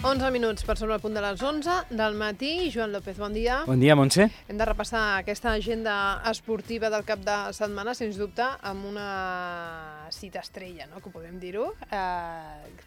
11 minuts per sobre el punt de les 11 del matí. Joan López, bon dia. Bon dia, Montse. Hem de repassar aquesta agenda esportiva del cap de setmana, sens dubte, amb una cita estrella, no?, que podem dir-ho.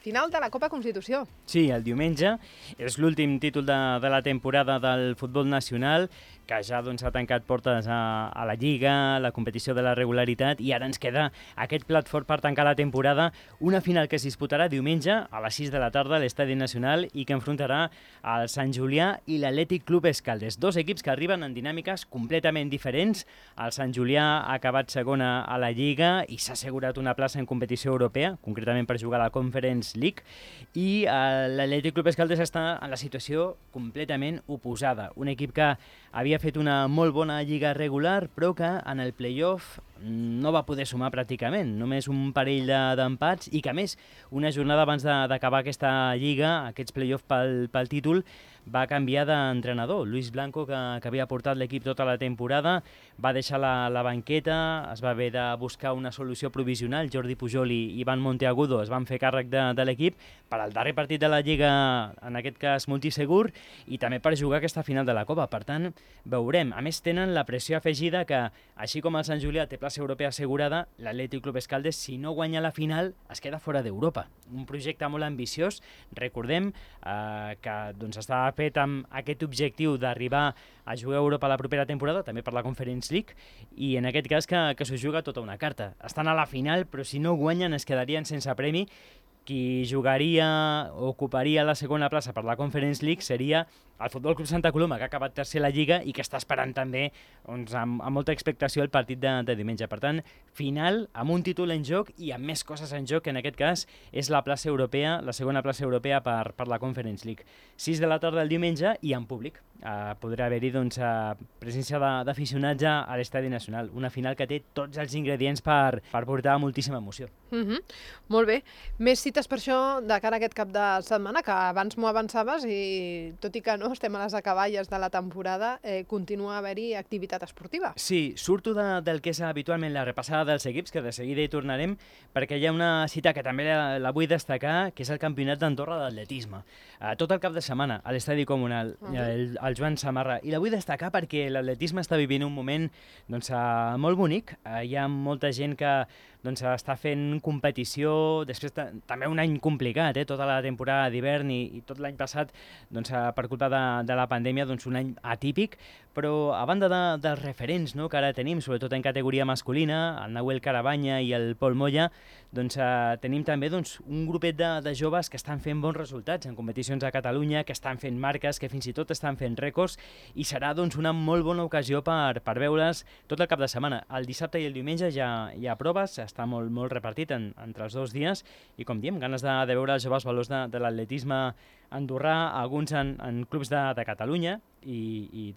Final de la Copa Constitució. Sí, el diumenge és l'últim títol de la temporada del futbol nacional, que ja ha tancat portes a la Lliga, la competició de la regularitat, i ara ens queda aquest plat fort per tancar la temporada, una final que es disputarà diumenge a les 6 de la tarda a l'Estadi Nacional i que enfrontarà el Sant Julià i l'Atlètic Club Escaldes, dos equips que arriben en dinàmiques completament diferents. El Sant Julià ha acabat segona a la Lliga i s'ha assegurat una plaça en competició europea, concretament per jugar a la Conference League, i l'Atlètic Club Escaldes està en la situació completament oposada. Un equip que havia fet una molt bona lliga regular, però que en el play-off no va poder sumar pràcticament, només un parell d'empats, i que a més, una jornada abans d'acabar aquesta lliga, aquests play-off pel títol, va canviar d'entrenador. Luis Blanco, que havia portat l'equip tota la temporada, va deixar la banqueta, es va haver de buscar una solució provisional. Jordi Pujol i Ivan Monteagudo es van fer càrrec de l'equip per al darrer partit de la Lliga, en aquest cas multisegur, i també per jugar aquesta final de la Copa. Per tant, veurem. A més, tenen la pressió afegida que, així com el Sant Julià té plaça europea assegurada, l'Atlètic Club Escaldes, si no guanya la final, es queda fora d'Europa. Un projecte molt ambiciós. Recordem que està fet amb aquest objectiu d'arribar a jugar a Europa la propera temporada, també per la Conference League, i en aquest cas que s'ho juga tota una carta. Estan a la final, però si no guanyen es quedarien sense premi. Qui jugaria o ocuparia la segona plaça per la Conference League seria el Futbol Club Santa Coloma, que ha acabat tercer a la Lliga i que està esperant també amb molta expectació el partit de diumenge. Per tant, final amb un títol en joc i amb més coses en joc, que en aquest cas és la plaça europea, la segona plaça europea per la Conference League. 6 de la tarda el diumenge i en públic. Podrà haver-hi presència d'aficionats a l'Estadi Nacional. Una final que té tots els ingredients per portar moltíssima emoció. Molt bé. Més cites per això de cara a aquest cap de setmana, que abans m'ho avançaves i tot i que no estem a les acaballes de la temporada, continua a haver-hi activitat esportiva. Sí, surto del que és habitualment la repassada dels equips, que de seguida hi tornarem, perquè hi ha una cita que també la vull destacar, que és el Campionat d'Andorra d'atletisme. Tot el cap de setmana a l'Estadi Comunal, el Joan Samarra, i la vull destacar perquè l'atletisme està vivint un moment molt bonic. Hi ha molta gent que està fent competició, després també un any complicat, tota la temporada d'hivern i tot l'any passat per culpa de la pandèmia, un any atípic, però a banda dels referents que ara tenim, sobretot en categoria masculina, el Nahuel Carabanya i el Pol Moya, tenim també un grupet de joves que estan fent bons resultats en competicions a Catalunya, que estan fent marques, que fins i tot estan fent rècords, i serà una molt bona ocasió per veure's tot el cap de setmana. El dissabte i el diumenge ja hi ha proves, està molt repartit entre els dos dies, i com diem, ganes de veure els joves valors de l'atletisme andorrà, alguns en clubs de Catalunya, i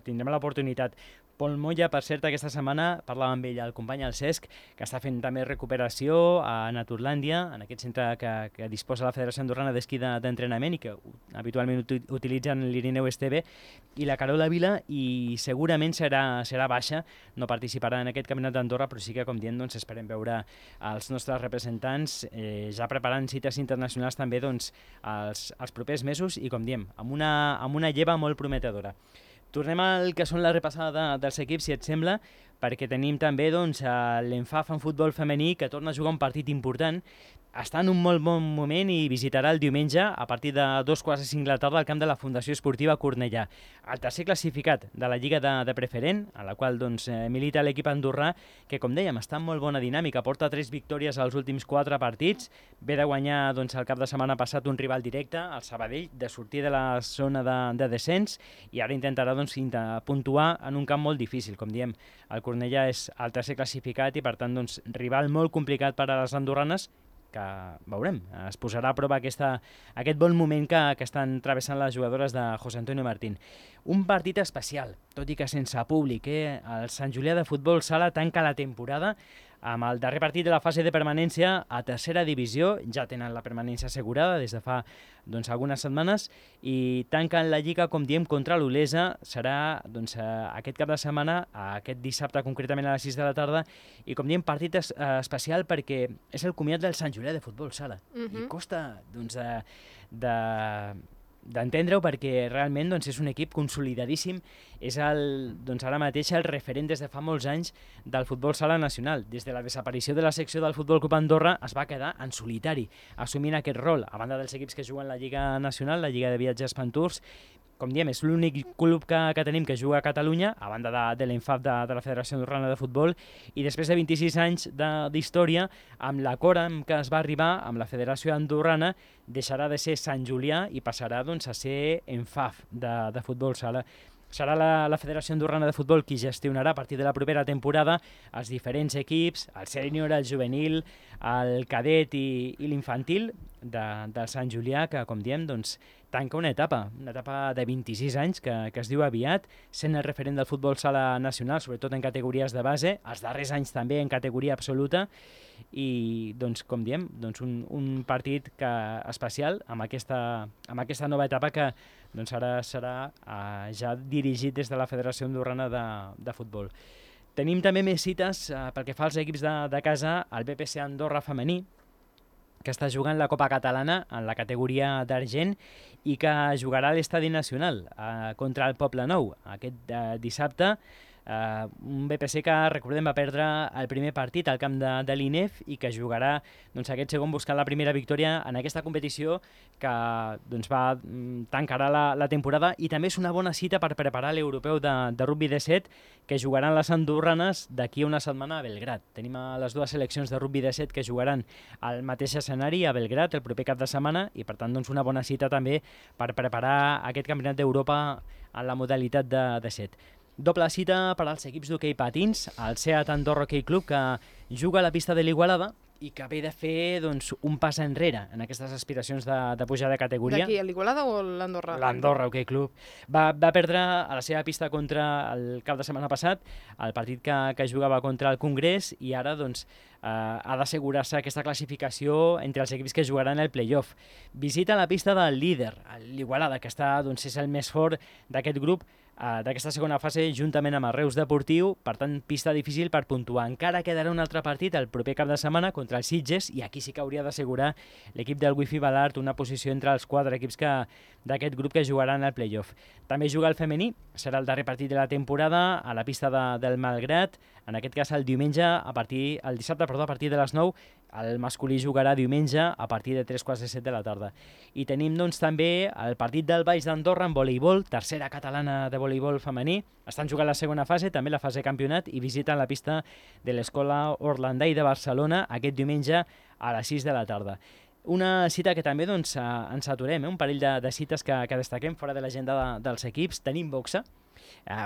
tindrem l'oportunitat. Pol Moya, per cert, aquesta setmana parlava amb ell, el company, el Cesc, que està fent també recuperació a Naturlàndia, en aquest centre que disposa la Federació Andorrana d'Esquí d'Entrenament i que habitualment utilitzen l'Irineu Esteve, i la Carola Vila, i segurament serà baixa, no participarà en aquest Campionat d'Andorra, però sí que, com dient, esperem veure els nostres representants ja preparant cites internacionals també els propers mesos, i com diem, amb una lleva molt prometedora. Tornem al que són la repassada dels equips, si et sembla, perquè tenim també l'Enfaf en futbol femení, que torna a jugar un partit important. Està en un molt bon moment i visitarà el diumenge a partir de 2:45 de la tarda al camp de la Fundació Esportiva Cornellà. El tercer classificat de la Lliga de Preferent, a la qual milita l'equip andorrà, que, com dèiem, està en molt bona dinàmica. Porta 3 victòries als últims 4 partits. Ve de guanyar el cap de setmana passat un rival directe, el Sabadell, de sortir de la zona de descens, i ara intentarà puntuar en un camp molt difícil. Com diem, el Cornellà és el tercer classificat i, per tant, rival molt complicat per a les andorranes, que veurem, es posarà a prova aquest bon moment que estan travessant les jugadores de José Antonio Martín. Un partit especial, tot i que sense públic. El Sant Julià de Futbol Sala tanca la temporada Amb el darrer partit de la fase de permanència a tercera divisió, ja tenen la permanència assegurada des de fa algunes setmanes, i tanquen la Lliga, com diem, contra l'Olesa. Serà aquest cap de setmana, aquest dissabte concretament a les 6 de la tarda, i com diem, partit especial perquè és el comiat del Sant Julià de futbol sala. I costa d'entendre-ho perquè realment és un equip consolidadíssim, és ara mateix el referent des de fa molts anys del futbol sala nacional. Des de la desaparició de la secció del Futbol Club Andorra es va quedar en solitari, assumint aquest rol, a banda dels equips que juguen la Lliga Nacional, la Lliga de Viatges Pantours. Com diem, és l'únic club que tenim que juga a Catalunya, a banda de l'ENFAF de la Federació Andorrana de Futbol, i després de 26 anys d'història, amb l'acord amb què es va arribar amb la Federació Andorrana, deixarà de ser Sant Julià i passarà a ser ENFAF de futbol sala. Serà la Federació Andorrana de Futbol qui gestionarà a partir de la propera temporada els diferents equips, el sènior, el juvenil, el cadet i l'infantil del Sant Julià, que, com diem, tanca una etapa de 26 anys que es diu aviat, sent el referent del futbol sala nacional, sobretot en categories de base, els darrers anys també en categoria absoluta, i, com diem, un partit especial amb aquesta nova etapa que ara serà ja dirigit des de la Federació Andorrana de Futbol. Tenim també més cites pel que fa als equips de casa, el BPC Andorra femení, que està jugant la Copa Catalana en la categoria d'argent i que jugarà a l'Estadi Nacional contra el Poblenou aquest dissabte. Un BPC que, recordem, va perdre el primer partit al camp de l'INEF i que jugarà aquest segon buscant la primera victòria en aquesta competició que tancarà la temporada, i també és una bona cita per preparar l'europeu de rugby de 7 que jugaran les andorranes d'aquí a una setmana a Belgrad. Tenim les dues seleccions de rugby de 7 que jugaran al mateix escenari a Belgrad el proper cap de setmana, i per tant una bona cita també per preparar aquest campionat d'Europa en la modalitat de 7. Doble cita per als equips d'hoquei patins, el Seat Andorra Hockey Club, que juga a la pista de l'Igualada i que ve de fer un pas enrere en aquestes aspiracions de pujar de categoria. D'aquí, l'Igualada o l'Andorra? L'Andorra Hockey Club. Va perdre a la seva pista contra el cap de setmana passat, el partit que jugava contra el Congrés, i ara ha d'assegurar-se aquesta classificació entre els equips que jugaran el play-off. Visita la pista del líder, l'Igualada, que és el més fort d'aquest grup, d'aquesta segona fase, juntament amb el Reus Deportiu. Per tant, pista difícil per puntuar. Encara quedarà un altre partit el proper cap de setmana contra el Sitges, i aquí sí que hauria d'assegurar l'equip del Wifi Balart una posició entre els 4 equips d'aquest grup que jugaran al play-off. També juga el femení, serà el darrer partit de la temporada a la pista del Malgrat, en aquest cas el dissabte a partir de les 9. El masculí jugarà diumenge a partir de 3:45 de la tarda. I tenim també el partit del Baix d'Andorra en voleibol, tercera catalana de voleibol femení. Estan jugant la segona fase, també la fase campionat, i visiten la pista de l'Escola Orlandai de Barcelona aquest diumenge a les 6 de la tarda. Una cita que també ens aturem, un parell de cites que destaquem fora de l'agenda dels equips. Tenim boxa,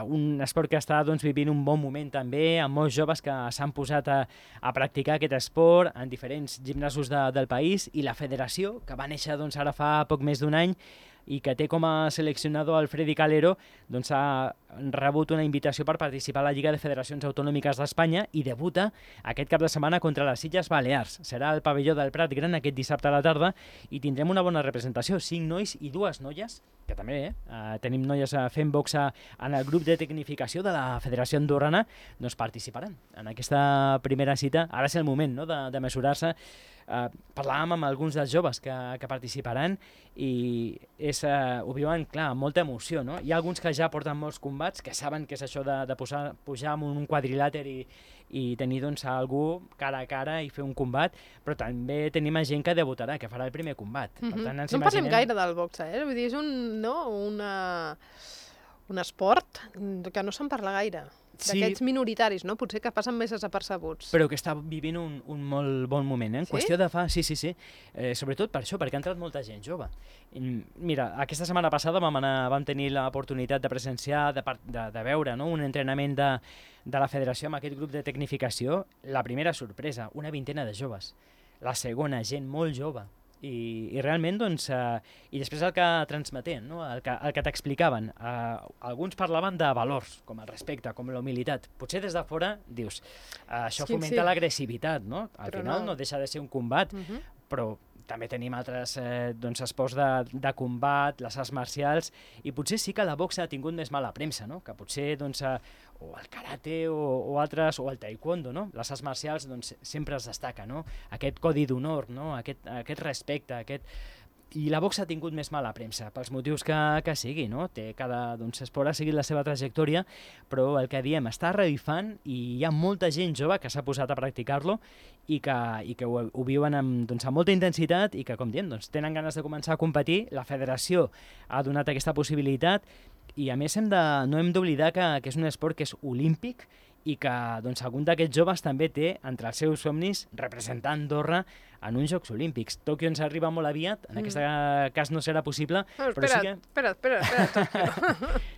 un esport que està vivint un bon moment també, amb molts joves que s'han posat a practicar aquest esport en diferents gimnasos del país, i la federació, que va néixer ara fa poc més d'un any, i que té com a seleccionador el Freddy Calero, ha rebut una invitació per participar a la Lliga de Federacions Autonòmiques d'Espanya i debuta aquest cap de setmana contra les Illes Balears. Serà al pavelló del Prat Gran aquest dissabte a la tarda i tindrem una bona representació, 5 nois i 2 noies, que també tenim noies fent boxa en el grup de tecnificació de la Federació Andorrana, participaran en aquesta primera cita. Ara és el moment de mesurar-se. Parlàvem amb alguns dels joves que participaran i ho viuen, clar, amb molta emoció, no? Hi ha alguns que ja porten molts combats, que saben què és això de pujar en un quadrilàter i tenir algú cara a cara i fer un combat, però també tenim gent que debutarà, que farà el primer combat. Per tant, no en parlem gaire del boxa, vull dir, és un esport que no se'n parla gaire. D'aquests minoritaris, no? Potser que passen més desapercebuts. Però que està vivint un molt bon moment, en qüestió de fa... Sí. Sobretot per això, perquè ha entrat molta gent jove. Mira, aquesta setmana passada vam tenir l'oportunitat de presenciar, de veure un entrenament de la federació amb aquest grup de tecnificació. La primera sorpresa, una vintena de joves. La segona, gent molt jove. i realment, doncs, i després el que transmeten, no? el que t'explicaven. Alguns parlaven de valors, com el respecte, com la humilitat. Potser des de fora dius, això fomenta l'agressivitat, no? Al final no deixa de ser un combat, però també tenim altres esports de combat, les arts marcials, i potser sí que la boxa ha tingut més mala premsa, no? Que potser o el karate o altres, o el taekwondo, no? Les arts marcials sempre es destaca, no? Aquest codi d'honor, no? Aquest respecte, I la boxa ha tingut més mala premsa, pels motius que sigui, no? Cada esport ha seguit la seva trajectòria, però el que diem, està revifant i hi ha molta gent jove que s'ha posat a practicar-lo i que ho viuen amb molta intensitat i que, com diem, tenen ganes de començar a competir. La federació ha donat aquesta possibilitat i, a més, no hem d'oblidar que és un esport que és olímpic i que algun d'aquests joves també té entre els seus somnis representar Andorra en uns Jocs Olímpics. Tòquio ens arriba molt aviat, en aquest cas no serà possible, però sí que... Espera.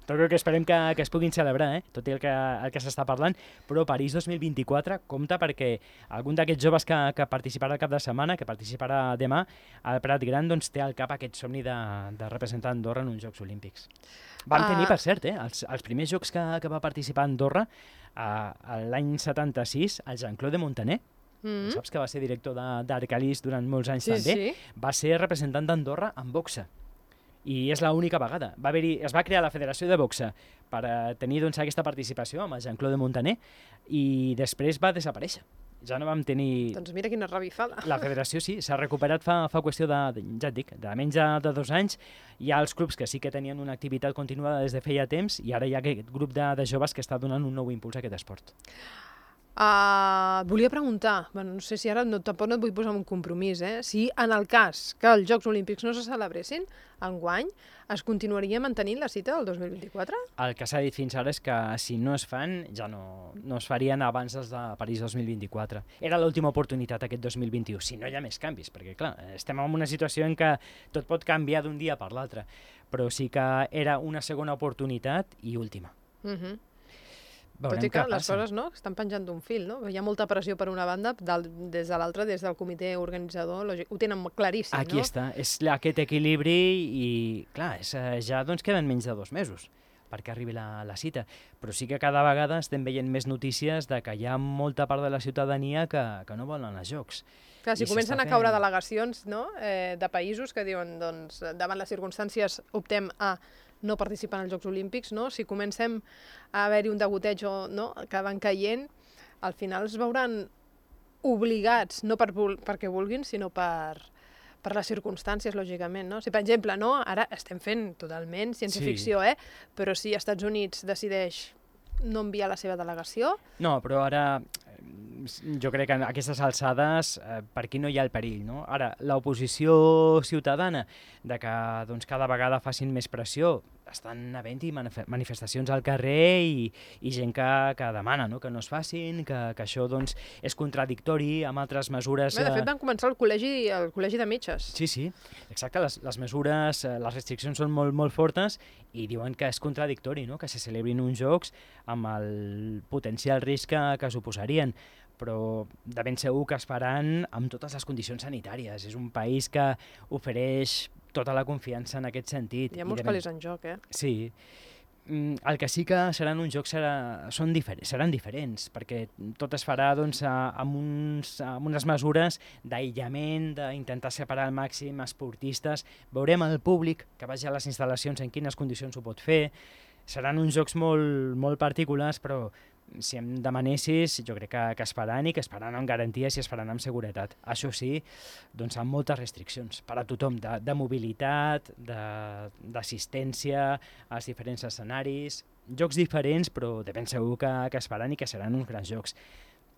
Tòquio que esperem que es puguin celebrar, tot i el que s'està parlant, però París 2024 compta perquè algun d'aquests joves que participarà el cap de setmana, que participarà demà al Prat Gran, té al cap aquest somni de representar Andorra en uns Jocs Olímpics. Vam tenir, per cert, els primers jocs que va participar a Andorra l'any 76, el Jean-Claude Montaner, saps que va ser director d'Arcalís durant molts anys també, va ser representant d'Andorra en boxa. I és l'única vegada. Es va crear la Federació de Boxa per tenir aquesta participació amb el Jean-Claude Montaner i després va desaparèixer. Ja no vam tenir... Doncs mira quina revifada. La federació sí, s'ha recuperat fa qüestió ja et dic, de menys de 2 anys. Hi ha els clubs que sí que tenien una activitat continuada des de feia temps i ara hi ha aquest grup de joves que està donant un nou impuls a aquest esport. Volia preguntar, no sé si ara tampoc no et vull posar un compromís, si en el cas que els Jocs Olímpics no se celebressin enguany, es continuaria mantenint la cita del 2024? El que s'ha dit fins ara és que si no es fan, ja no es farien abans dels de París 2024. Era l'última oportunitat aquest 2021, si no hi ha més canvis, perquè clar, estem en una situació en què tot pot canviar d'un dia per l'altre, però sí que era una segona oportunitat i última. Tot i que les coses estan penjant d'un fil, no? Hi ha molta pressió per una banda, des de l'altra, des del comitè organitzador, ho tenen claríssim, no? Aquí està, és aquest equilibri i, clar, ja queden menys de 2 mesos perquè arribi la cita, però sí que cada vegada estem veient més notícies de que hi ha molta part de la ciutadania que no volen els Jocs. Clar, si comencen a caure delegacions de països que diuen, davant les circumstàncies optem a no participar en els Jocs Olímpics, si comencem a haver-hi un degoteig que van caient, al final es veuran obligats, no perquè vulguin, sinó per les circumstàncies, lògicament. Si, per exemple, ara estem fent totalment ciència-ficció, però si els Estats Units decideix no enviar la seva delegació... No, però ara jo crec que a aquestes alçades per aquí no hi ha el perill, no? Ara, l'oposició ciutadana de que cada vegada facin més pressió, estan havent-hi manifestacions al carrer i gent que demana que no es facin, que això és contradictori amb altres mesures... De fet, van començar el col·legi de metges. Sí, exacte, les mesures, les restriccions són molt, molt fortes i diuen que és contradictori, que se celebrin uns jocs amb el potencial risc que suposarien, però de ben segur que es faran amb totes les condicions sanitàries. És un país que ofereix tota la confiança en aquest sentit. Hi ha molts calés en joc, Sí. El que sí que seran uns jocs seran diferents, perquè tot es farà amb unes mesures d'aïllament, d'intentar separar al màxim esportistes. Veurem el públic que vagi a les instal·lacions en quines condicions ho pot fer. Seran uns jocs molt, molt particulars, però si em demanessis, jo crec que es faran i que es faran amb garanties i es faran amb seguretat. Això sí, amb moltes restriccions per a tothom, de mobilitat, d'assistència als diferents escenaris, jocs diferents, però de ben segur que es faran i que seran uns grans jocs.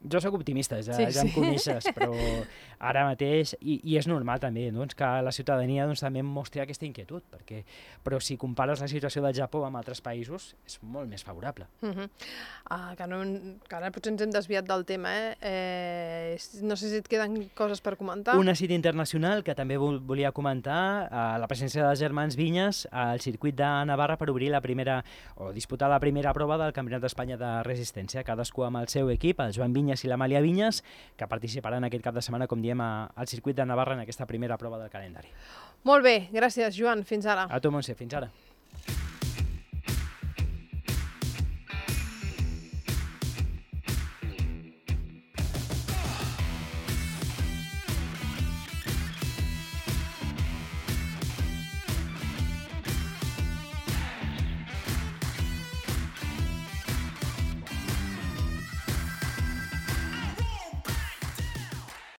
Jo soc optimista, ja em coneixes, però ara mateix, i és normal també que la ciutadania també mostri aquesta inquietud, però si compares la situació del Japó amb altres països, és molt més favorable. Que ara potser ens hem desviat del tema, no sé si et queden coses per comentar. Una cita internacional que també volia comentar, la presència dels germans Vinyes al circuit de Navarra per obrir disputar la primera prova del Campionat d'Espanya de Resistència, cadascú amb el seu equip, el Joan Vinyes Vinyes i l'Amàlia Vinyes, que participaran aquest cap de setmana, com diem, al circuit de Navarra en aquesta primera prova del calendari. Molt bé, gràcies, Joan. Fins ara. A tu, Montse, fins ara.